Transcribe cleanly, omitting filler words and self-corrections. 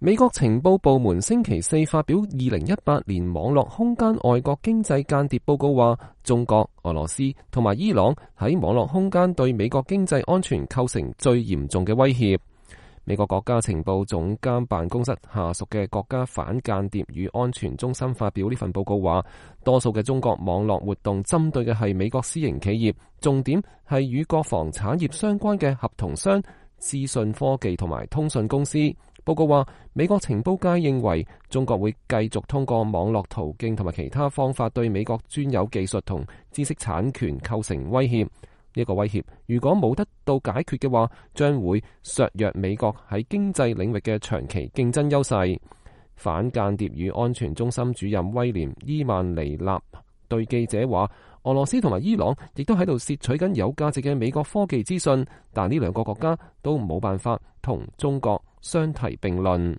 美國情報部門星期四發表2018年網絡空間外國經濟間諜報告話，中國、俄羅斯同埋伊朗喺網絡空間對美國經濟安全構成最嚴重嘅威脅。美國國家情報總監辦公室下屬嘅國家反間諜與安全中心發表呢份報告話，多數嘅中國網絡活動針對嘅係美國私營企業，重點係與國防產業相關嘅合同商、資訊科技同埋通訊公司。報告話，美國情報界認為中國會繼續通過網絡途徑同埋其他方法對美國專有技術同知識產權構成威脅。呢個威脅如果冇得到解決嘅話，將會削弱美國喺經濟領域嘅長期競爭優勢。反間諜與安全中心主任威廉伊曼尼納對記者話，俄羅斯同埋伊朗亦都喺度竊取緊有價值嘅美國科技資訊，但呢兩個國家都冇辦法同中國相提並論。